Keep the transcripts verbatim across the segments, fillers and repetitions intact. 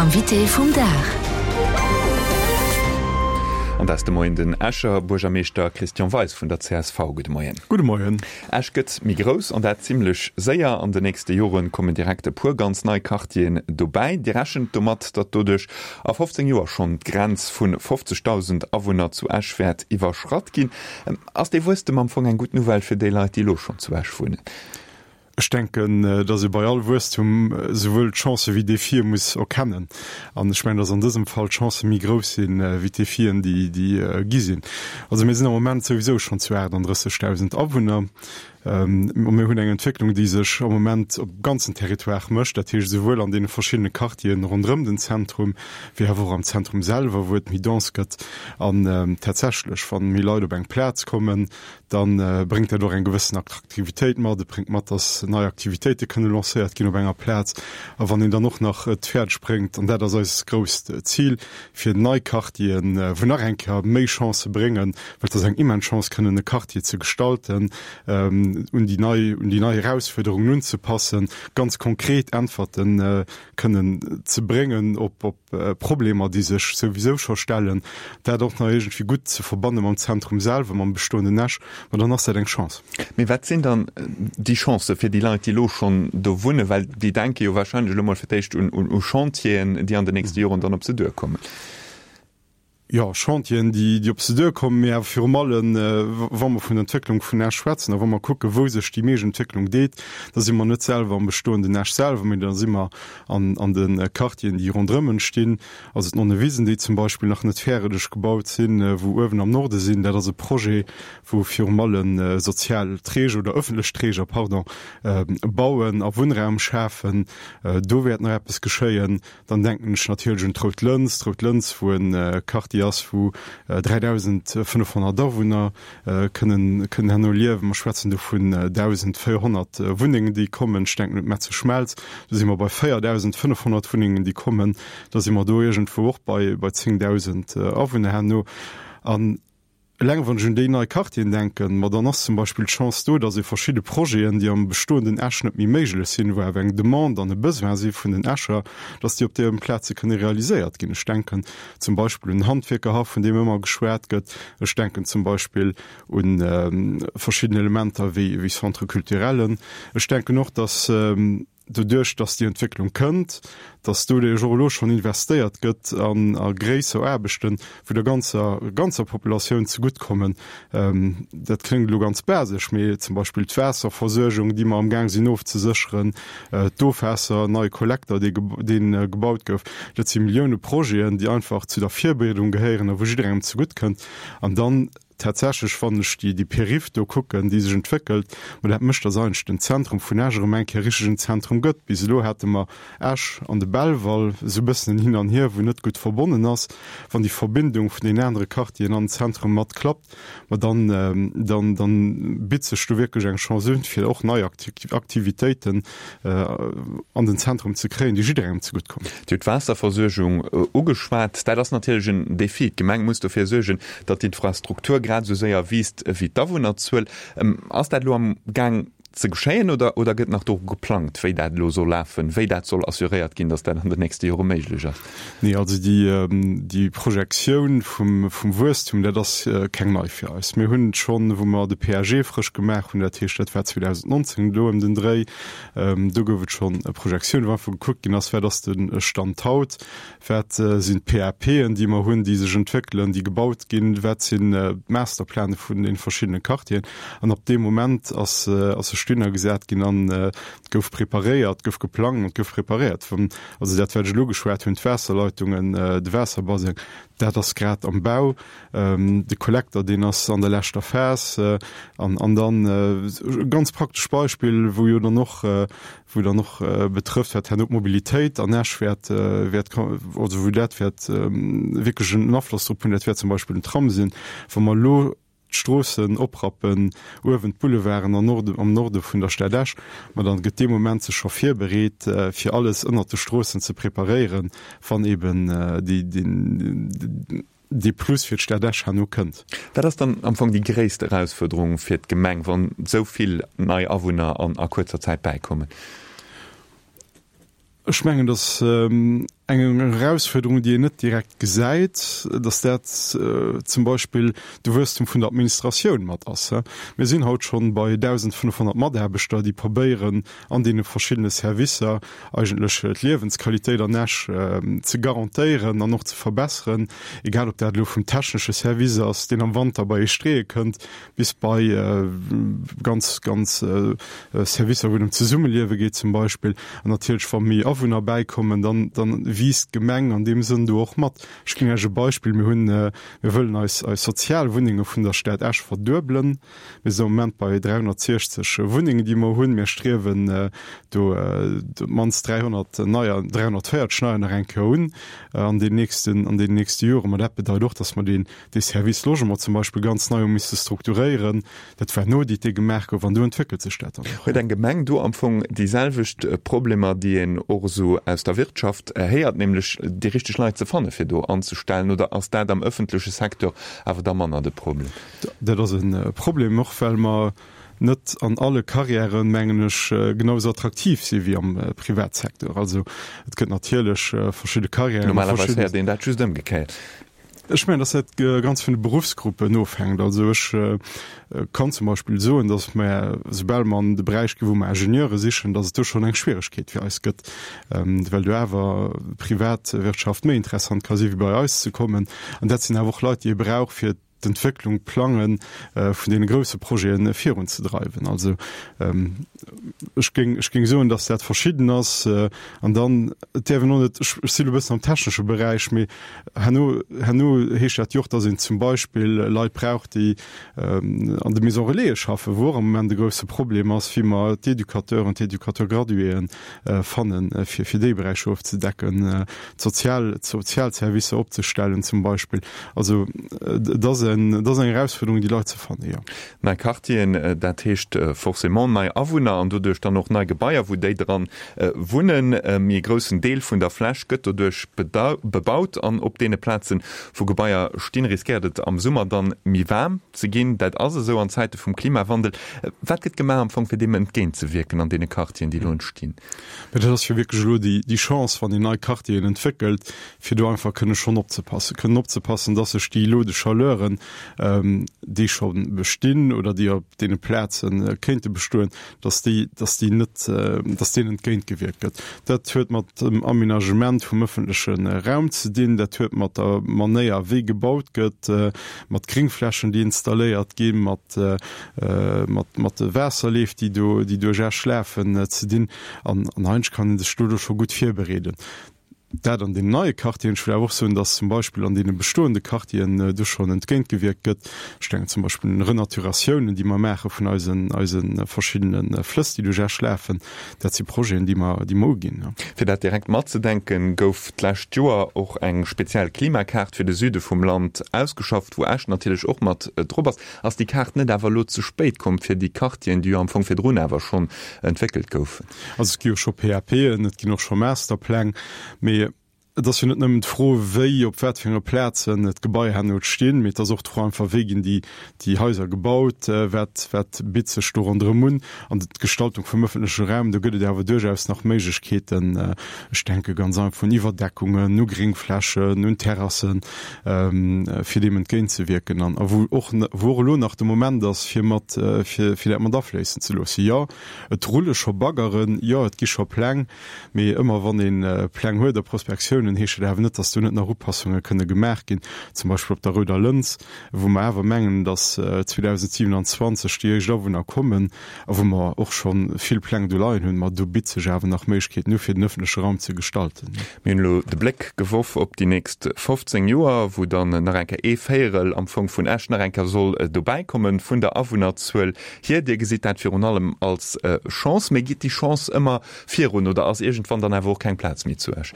Invité vum Dag. An dat ass de Moien den Escher Buergermeeschter Christian Weis vun der csv. Gudde Moien. Gudde Moien. Esch gëtt méi grouss an dat zimmlech séier. An den nächste Jore kommen direkt e puer ganz nei Quartieren dobäi. Dir rechent domat, datt doduerch a fofzéng Joer schonn d'Grenz vu fofzegdausend Awunner zu Esch wäert iwwerschratt ginn. Ass dee Wuesstem am Fong eng gutt Nouvelle fir déi Leit, déi elo schonn zu Esch wunnen? Ech denken, datt ee bei all Wuesstum souwuel d'Chancë wéi d'Defie muss erkennen. An ech mengen, datt an dësem Fall d'Chancë méi grouss sinn, wéi d'Defien, déi gi sinn. Also mir sinn am Moment souwisou schonn zu achtundrëssegdausend Awunner. A mir hunn eng Entwécklung, déi sech am Moment op ganzen Territoire mécht, dat heescht esouwuel an deene verschiddene Quartieren ronderëm den Zentrum, wéi awer och am Zentrum selwer, wou et méi dense gëtt. An tatsächlech, wa méi Leit op eng Plaz kommen, da bréngt dat och eng gewëssen Attraktivitéit mat. Et bréngt mat, dass nei Aktivitéite kënne lancéiert ginn op enger Plaz. A wann een dann och nach et fäerdeg bréngt, an dat ass eist grousst Zil, fir nei Quartieren, wou nach eng Kéier méi Chancë bréngen, well et ass eng immens Chance, kënnen e Quartier ze gestalten, un déi nei, un déi nei Erausfuerderungen unzepassen, ganz konkret Äntwerte kënnen ze bréngen op, op Problemer, déi sech souwisou scho stellen, dat och nach iergendwéi gutt ze verbanne mam Zentrum selwer, mam bestoenden Esch, ma dann ass dat eng Chance. Mee wat sinn dann déi Chancë fir déi Leit, déi elo schonn do wunnen? Well déi denke jo wahrscheinlech elo mol fir d'éischt un, un, u Chantieren, déi an den nächste Joren dann op se duerkommen. Jo, Chantieren, déi, déi op se duerkommen, mee awer virum allen, wa mer vun der Entwécklung vun Esch schwätzen a wa mer kucken, wou sech déi meescht Entwécklung deet, da si mer net selwer am bestoenden Esch selwer, mee da si mer an, an de Quartieren, déi ronderëm entstinn. Also d'Nonnewisen, déi zum Beispill nach net fäerdeg gebaut sinn, wou uewen am Norde sinn, dat ass e Projet, wou virum alle sozial Träger oder öffentlech Träger, pardon, bauen a Wunnraum schafen. Do wäert nach eppes geschéien. Dann denken ech natierlech un d'Rout Lëns, d'Rout Lëns, wou e Quartier ass, wou dräidausendfënnefhonnert Awunner kënnen kënnen herno liewen. Mer schwätzen do vun dausendvéierhonnert Wunnengen, déi kommen. Ech denken un d'Metze Schmelz, do si mer bei véierdausendfënnefhonnert Wunnengen, déi kommen. Da si mer do iergendwou och bei bei zéngdausend Awunner herno. An Eleng wann ech un déi nei Quartieren denken, ma dann ass zum Beispill d'Chance do, dass ee verschidde Projeten, déi am bestoenden Esch net méi méiglech sinn, wou awer eng Demande an e Besoin si vun den Escher, dass déi op deene Plaze kënne realiséiert ginn. Ech denken zum Beispill un den Handwierkerhaff, vun deem ëmmer geschwat gëtt. Ech denken zum Beispill u verschidden Elementer wéi Centre-culturellen. Ech denken och, dass, doduerch dass déi Entwécklung kënnt, dass doduerch och elo schonn investéiert gëtt an a gréisser Aarbechten, wou der ganzer ganzer Populatioun zegutt kommen. Dat kléngt elo ganz basesch, mee zum Beispill d'Waasserversuergung, déi mer amgaang sinn ofzesécheren, d'Ofwaasser, en neie Kollekter, dee dee gebaut gouf, dat si Millioune Projeten, déi einfach zu der Virbereedung gehéieren a wou jidderengem zegutt kënnt. An dann Tatsächlech, wann ech déi, déi Périph do kucken, déi sech entwéckelt, ma dat mécht, dass eigentlech den Zentrum vun Esch erëm eng Kéier richtegen Zentrum gëtt. Bis elo hate mer Esch an de Belval, esou e bëssen en Hin an Hier, wou net gutt verbonnen ass. Wann déi Verbindung vun deenen anere Quartieren an den Zentrum mat klappt, ma dann, dann, dann bitt sech do wierklech eng Chance un, fir och nei Aktivitéiten an den Zentrum ze kréien, déi jidderengem zegutt kommen. Dir hutt d'Waasserversuergung ugeschwat. Dat ass natierlech en Defi. D'Gemeng muss dofir suergen, datt d'Infrastruktur grad esou séier wiisst wéi d'Awunnerzuel. Ass dat elo am Gaang ze geschéien oder oder gëtt nach doru geplangt, wéi dat elo soll lafen, wéi dat soll assuréiert ginn, datt dat an den nächste Jore méiglech ass? Nee, also déi déi Projektioun vum vum Wuesstum, dat ass keng nei fir eis. Mir hunn et schonn, wou mer de P A G frësch gemaach hunn, dat heescht, dat war zweedausendnonzéng do ëm den Dréi, do gouf et schonn e Projektioun, wou einfach gekuckt ginn ass, wat ass de Stand haut, Wat sinn d'P A P'en, déi mer hunn, déi sech entwéckelen, déi gebaut ginn? Wat sinn d'Masterpläne vun deene verschiddene Quartieren? An ab deem Moment ass sech dunner gesat ginn an et gouf preparéiert, gouf geplangt an gouf preparéiert. Also dat, wat ech elo geschwat hunn, d'Waasserleitungen, de Waasserbaseng, dat ass grad am Bau. De Kollekter, deen ass an der leschter Phas. An dann e ganz praktescht Beispill, wou jo dann och, wou dann och betrëfft, wat herno d'Mobilitéit an Esch wäert, wäert, also wou dat wäert wierklech en Afloss drop hunn, dat wäert zum Beispill den Tram sinn. Wa mer elo d'Stroossen oprappen, uewen d'Boulevarden an Norde, am Norde vun der Stad Esch, ma dann gëtt dee Moment sech scho virbereet, fir alles ënnert de Stroossen ze preparéieren, wann eben déi, deen, dee Plus fir d'Stad Esch herno kënnt. Wat ass dann am Fong déi gréisst Erausfuerderung fir d'Gemeng, wann esou vill nei Awunner an a kuerzer Zäit bäikommen? Ech mengen, dass eng Eng Erausfuerderung, déi een net direkt gesäit, dass dat zum Beispill de Wuesstum vun der Administratioun mat ass. Mir sinn haut schonn bei dausendfënnefhonnert Mataarbechter, déi probéieren, an deene verschiddene Servicer eigentlech d'Liewensqualitéit an Esch ze garantéieren an och ze verbesseren, egal ob dat elo vum technesche Service ass, deen am Wanter bei ee streeë kënnt, bis bei ganz, ganz Servicer, wou et ëm d'Zesummeliewe geet zum Beispill. An natierlech, wa méi Awunner bäikommen, dann, dann wiisst d'Gemeng an deem Sënn do och mat. Ech ginn Iech e Beispill, Mir hunn, mir wëllen eis, eis Sozialwunnenge vun der Stad Esch verduebelen. Mir sinn am Moment bei dräihonnertsiechzeg Wunnengen, déi mer hunn. Mir striewen do op d'mannst dräihonnert neier, dräihonnertvéierzeg neier nach eng Kéier un an den nächsten, an den nächste Joren. Mä dat bedeit och, dass mer deen, dee Service Logement zum Beispill ganz nei hu misse strukturéieren. Dat war en Audit, dee gemaach gouf, an do entwéckelt sech dat dann och. Huet eng Gemeng do am Fong déi selwecht Problemer, déi een och esou aus der Wirtschaft héiert, nämlech déi richteg Leit ze fanne fir do anzestellen, oder ass dat am ëffentleche Secteur awer da manner de Problem? Dat ass e Problem, och well mer net an alle Carrièren, mengen ech, genau esou attraktiv si wéi am Privatsecteur. Also et gëtt natierlech verschidde Carrièren. Normalerweis héiert een dat just ëmgekéiert. Ech mengen, dass dat ganz vun de Beruffsgruppen ofhänkt. Also ech kann zum Beispill soen, dass mer, soubal mer an de Beräich ginn, wou mer Ingenieure sichen, dass et do schonn eng Schwieregkeet fir eis gëtt, well do awer d'Privatwirtschaft méi interessant ka si wéi bei eis ze kommen. An dat sinn awer och Leit, déi ee brauch, fir d'Entwécklung, d'Plange vun deene grousse Projete virunzedreiwen. Also ech géing, ech géing soen, datt dat verschidden ass. An dann, et däerf een och net, ech si elo e bëssen am technesche Beräich, mee herno, herno heescht dat jo och, datt een zum Beispill Leit brauch, déi an de Maisons relaisen schaffen, wou och am Moment e grousse Problem ass, wéi mer d'Educateuren, d'Educateur-graduéen fannen, fir, fir déi Beräicher ofzedecken, d'Sozial, d'Sozialservicer opzestellen zum Beispill. Also et ass en, et ass eng Erausfuerderung, déi Leit ze fannen, jo. Nei Quartieren, dat heescht forcément nei Awunner an doduerch dann och nei Gebaier, wou déi dran wunnen. Méi e groussen Deel vun der Fläch gëtt doduerch bebaut an op deene Plazen, wou Gebaier stinn, riskéiert et am Summer dann méi waarm ze ginn. Dat ass esou an Zäite vum Klimawandel. Wat gëtt gemaach am Fong, fir deem entgéintzewierken an deene Quartieren, déi elo entstinn? Mä dat ass jo wierklech elo déi Chance, wann een nei Quartieren entwéckelt, fir do einfach kënne schonn opzepassen, kënnen opzepassen, dass sech déi Îlots de chaleuren, déi scho bestinn oder déi op deene Plaze kéinte bestoen, dass déi, dass déi net, dass deenen entgéintgewierkt gëtt. Dat huet mat dem Aménagement vum ëffentleche Raum ze dinn, dat huet mat der Manéier, wéi gebaut gëtt, mat Gréngflächen, déi installéiert ginn, mat, mat, mat de Waasserleef, déi do, déi duerch Esch lafen, ze dinn. An, an eigentlech kann ee sech dodo scho gutt virbereeden. Dat an deenen neie Quartieren. Ech wëll awer och soen, dass zum Beispill an deene bestoende Quartieren do schonn entgéintgewierkt gëtt. Ech denken zum Beispill un Renaturatiounen, déi mer maache vun eisen, eise verschiddene Flëss, déi duerch Esch lafen. Dat si Projeten, déi mer, déi mer uginn. Fir dat direkt matzedenken, gouf d'lescht Joer och eng speziell Klimakaart fir de Süde vum Land ausgeschafft, wou Esch natierlech och mat drop ass. Ass déi Kaart net awer elo ze spéit komm fir déi Quartieren, déi jo am Fong virdrun awer schonn entwéckelt goufen? Also et gi jo scho PAPen, et ginn och scho Masterpläng, mee et ass jo net nëmmen d'Fro, wéi, op wat fir enge Plazen d'Gebaier herno stinn, mee et ass och d'Fro einfach, wéi ginn déi, déi Haiser gebaut, wat, wat bitt sech do ronderëm un. An d'Gestaltung vum ëffentleche Raum, do gëtt et awer duerchaus nach Méiglechkeeten, ech denke ganz einfach un Iwwerdeckungen, u Gréngflächen, un Terrassen, fir deem entgéintzewierken an a wou och, wou och elo nach de Moment ass, fir mat, fir, fir dat mat afléissen ze loossen. Jo, et rulle scho Baggeren, jo, et gi scho Pläng, mee ëmmer wann ee Pläng huet a Prospektiounen, heescht dat awer net, datt do net nach Upassunge kënne gemaach ginn, zum Beispill op der Rouder Lëns, wou mer awer mengen, datt zweedausendsiewenundzwanzeg déi éischt Awunner kommen a wou mer och scho vill Pläng do leien hunn. Ma do bitt sech awer nach Méiglechkeeten u fir den ëffentleche Raum ze gestalten. Mir hunn elo de Bléck geworf op déi nächst fofzéng Joer, wou dann nach eng Kéier ee Véierel am Fong vun Esch nach eng Kéier soll dobäikommen vun der Awunnerzuel hier. Dir gesitt dat virun allem als Chance. Mee geet déi Chance ëmmer virun oder ass iergendwann dann awer och keng Plaz méi zu Esch?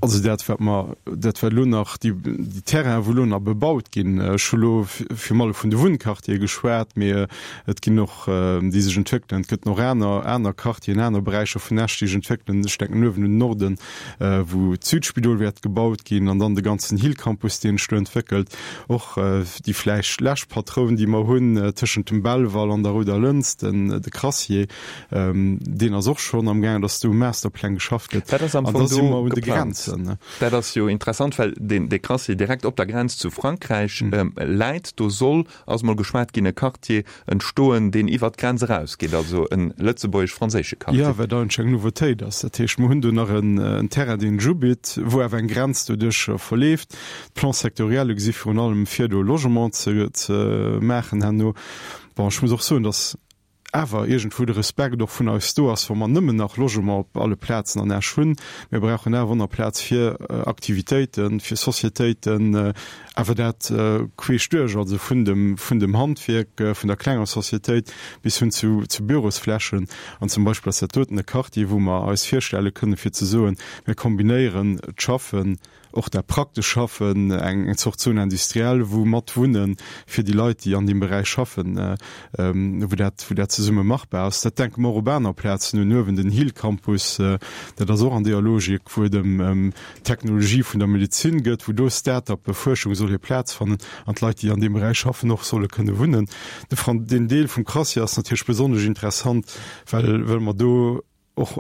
Also dat, wat mer, dat wat elo nach, déi, déi Terrainen, wou elo nach bebaut ginn, ech hu elo virun allem vun de Wunnquartiere geschwat, mee et ginn och, déi sech entwéckelen, et gëtt nach aner, aner Quartieren, aner Beräicher vun Esch, déi sech entwéckelen. Ech denken uewen un den Norden, wou d'Südspidol wäert gebaut ginn an dann de ganzen Hill-Campus, deen sech do entwéckelt. Och déi vläicht lescht Patroun, déi mer hunn tëschent dem Belval an der Rouder Lëns, den, de Crassier, Deen ass och schonn am gaangen, dass do u Masterpläng geschafft gëtt. Wat ass am Fong do geplant? Grenzen. Dat ass jo interessant, well deen dee Crassier direkt op der Grenz zu Frankräich läit. Do soll, ass mol geschwat ginn, e Quartier entstoen, deen iwwert d'Grenz erausgeet, also e lëtzebuergesch-franséische Quartier. Jo, wat eigentlech eng Nouveautéit ass. Dat heescht, mer hunn do nach en Terrain, deen sech ubitt, wou awer eng Grenz doduerch verleeft. D'Plans sectoriels gesi virun allem vir, do Logement ze ze maachen herno. Bon, ech muss och soen, datt awer iergendwou de Respekt och vun eis do ass, wa mer nëmmen nach Logement op alle Plazen an Esch hunn. Mir brauchen awer och nach Plaz fir Aktivitéiten, fir Societéiten, awer dat queesch duerch, also vun dem, vun dem Handwierk, vun der klenger Societéit bis hin zu, zu Bürosflächen. An zum Beispill ass dat doten e Quartier, wou mer eis virstelle kënnen, fir ze soen, mir kombinéieren d'Schaffen, och dat praktesch Schaffen, eng Zort Zone industrielle, wou mat Wunnen fir déi Leit, déi an deem Beräich schaffen, wou dat, wou dat zesumme machbar ass. Dat denke mer och op aner Plazen un, uewen den Hill Campus, dat ass och an deeër Logik, wou et ëm d'Technologie vun der Medezin gëtt, wou do Start-uppe, Fuerschung soll hir Plaz fannen an d'Leit, déi an deem Beräich schaffen, och solle kënne wunnen. De Fran, deen Deel vum Crassier ass natierlech besonnesch interessant, well, well mer do och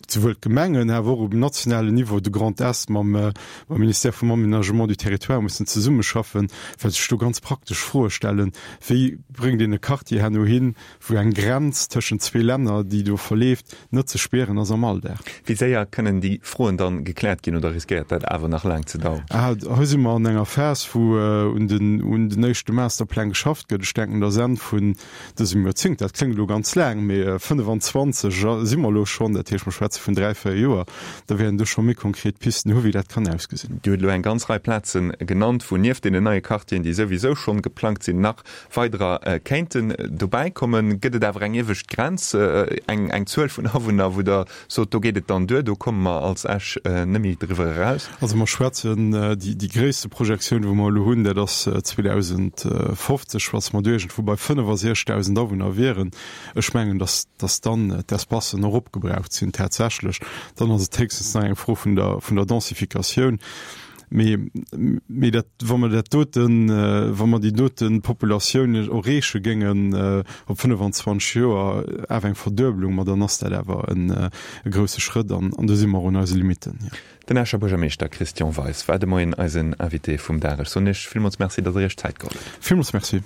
souwuel d'Gemengen, awer och um nationalen Niveau de Grand Est mam Ministère vum Aménagement du Territoire mussen zesummeschaffen, well sech do ganz praktesch Froe stellen, Wéi bréngt een e Quartier herno hin, wou eng Grenz tëschent zwee Länner, déi do verleeft, net ze spieren ass am Alldag? Wéi séier kënnen déi Froen dann gekläert ginn oder riskéiert dat awer nach laang ze daueren? Hei si mer an enger Phas, wou un den éischte Masterpläng geschafft gëtt. Ech denken, dass Enn vun dësem Joerzéngt, dat kléngt elo ganz laang, mee fënnefenzwanzeg si mer elo schonn, dat heescht, mer schwätze vun dräi, véier Joer, da wäerten do scho méi konkret Pisten hu wéi dat kann ausgesinn. Dir hutt elo eng ganz Rei Plaze genannt, wou nieft deenen neie Quartieren, déi souwisou schonn geplangt sinn, nach weiderer kéinten dobäi kommen. Gëtt et awer eng iewescht Grenz, eng eng Zuel vun Awunner, wou Der sot, do geet et dann duer, do komme mer als Esch net méi driwwer eraus? Also mer schwätzen, déi déi gréisste Projektioun, wou mer elo hunn, dat ass zweedausendfofzeg, was mer do iergendwou bei fënnefasechzegdausend Awunner wieren. Ech mengen, dass dass dann d'Espacen och opgebraucht sinn tatsächlech. Dann ass et héchstens nach eng Fro vun der vun der Densifikatioun. Mee mee dat, wa mer dat doten, wa mer déi dote Populatioun erreeche géingen op fënnefenzwanzeg Joer, awer eng Verduebelung, ma dann ass dat awer en e grousse Schrëtt an an do si mer un eise Limitten, jo. Den Escher Buergermeeschter Christian Weis war de Moien eisen Invité vum Dag. Ech soen Iech villmools Merci, datt Der Iech Zäit geholl hutt. Villmools Merci.